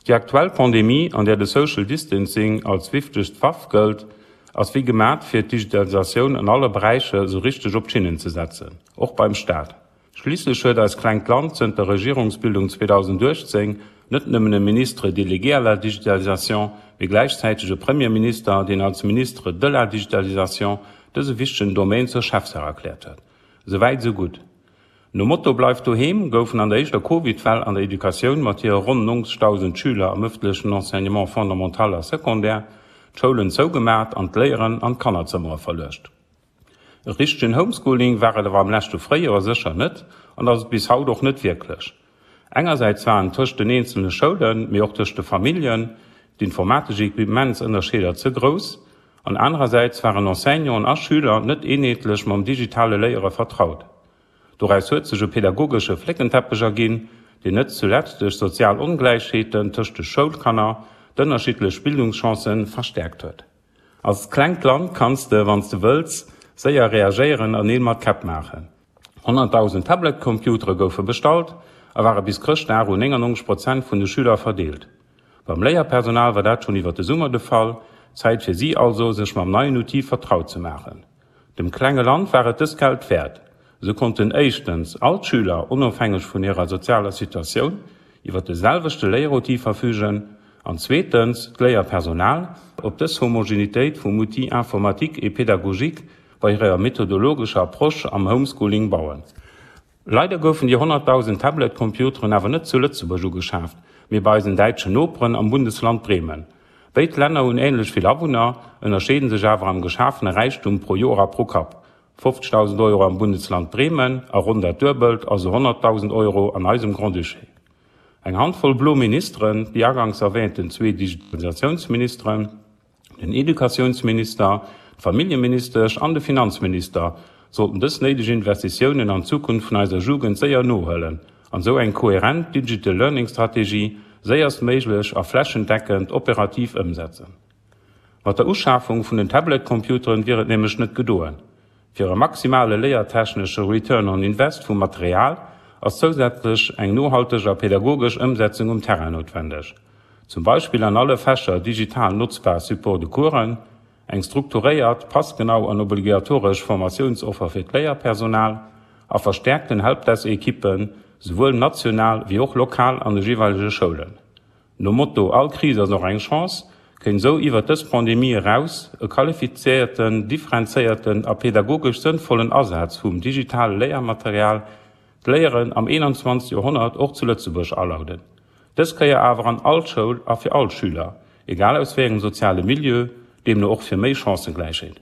Déi aktuell Pandemie, an där de Social Distancing als wichtegst Waff gëllt, ass wéi gemat fir d'Digitalisatioun an alle Beräicher esou richteg op d'Schinnen ze setzen, och beim Staat. Schliisslech huet eist klengt Land zënter Regierungsbildung 2018 net nëmmen e Ministre délégué à la digitalisation, mee gläichzäiteg e Premierminister, deen als Ministre de la digitalisation dëse wichtegen Domaine zur Chefsaach erkläert huet. Esouwäit esou gutt. Nom Motto Bleift doheem goufen an der éischter Covid-Well an der Educatioun mat hire ronn 90.000 Schüler am ëffentlechen Enseignement fondamental a secondaire d'Schoulen zougemaacht an d'Léieren an d'Kannerzëmmere verluecht. E richtegen Homeschooling war et awer am leschte Fréijoer sécher net an ass et bis haut och net wierklech. Engersäits waren tëscht den eenzele Schoulen, mee och tëscht de Familljen, d'informatesch Equipements-Ënnerscheeder ze grouss an anerersäits waren Enseignanten a Schüler net eenheetlech mam digitale Léiere vertraut. Doraus huet sech e pedagogesche Fléckenteppech erginn, deen net zulescht duerch sozial Ongläichheeten tëscht de Schoulkanner d'ënnerschiddlech Bildungschancen verstäerkt huet. Als klengt Land kanns de, wann s de wëlls, séier reagéieren a Neel mat Käpp maachen. 100.000 Tablet-Computere goufe bestallt a ware bis Chrëschtdag un 99 Prozent vun de Schüler verdeelt. Beim Léierpersonal war dat schonn iwwer de Summer de Fall, Zäit fir si also, sech mam neien Outil vertraut ze maachen. Dem klenge Land war et dëst Geld wäert. Esou konnten éischtens all d'Schüler, onofhängeg vun hirer sozialer Situatioun, iwwer de selwechte Léieroutil verfügen an zweetens d'Léierpersonal op dës Homogenitéit vum Outil informatique et pédagogique bei hirer methodologescher Approche am Homeschooling bauen. Leider goufen déi 100.000 Tablet-Computeren awer net zu Lëtzebuerg ugeschaaft, mee bei eisen däitschen Noperen am Bundesland Bremen. Béid Länner hunn änlech vill Awunner, ënnerscheeden sech awer am geschafene Räichtum pro Joer a pro Kapp, 50.000 Euro am Bundesland Bremen a ronn dat Duebelt, also 100.000 Euro an eisem Grand-Duché. Eng Handvoll blo Ministeren, déi aganks erwäänten zwee Digitalisatiounsministeren, Den Educatiounsminister, d'Familljeministesch an de Finanzminister sollten dës néideg Investitiounen an d'Zukunft vun eiser Jugend séier nohuelen an esou eng kohärent Digital Learning Strategie séierstméiglech a flächendeckend operativ ëmsetzen. Mat der Uschafung vun den Tablet-Computeren wier et nämlech net gedoen. Fir e maximale léiertechnesche Return on Invest vum Material ass zousätzlech eng nohalteg a pädagogesch Ëmsetzung um Terrain noutwendeg. Zum Beispill an alle Fächer digital notzbar Support de coursen, eng strukturéiert, passgenau an obligatoresch Formatiounsoffer fir d'Léierpersonal a verstäerkten Helpdesk-Ekippen, souwuel national wéi och lokal an de jeeweilege Schoulen. Nom Motto All Kris ass och eng Chance kéint esou iwwert dës Pandemie eraus e qualifizéierten, differenzéierten a pedagogesch sënnvollen Asaz vum digitale Léiermaterial d'Léieren am 21. Joerhonnert och zu Lëtzebuerg alauden. Dës Kéier awer an all Schoul a fir all Schüler, egal aus wéi engem soziale Milieu, deemno och fir méi Chancëgläichheet.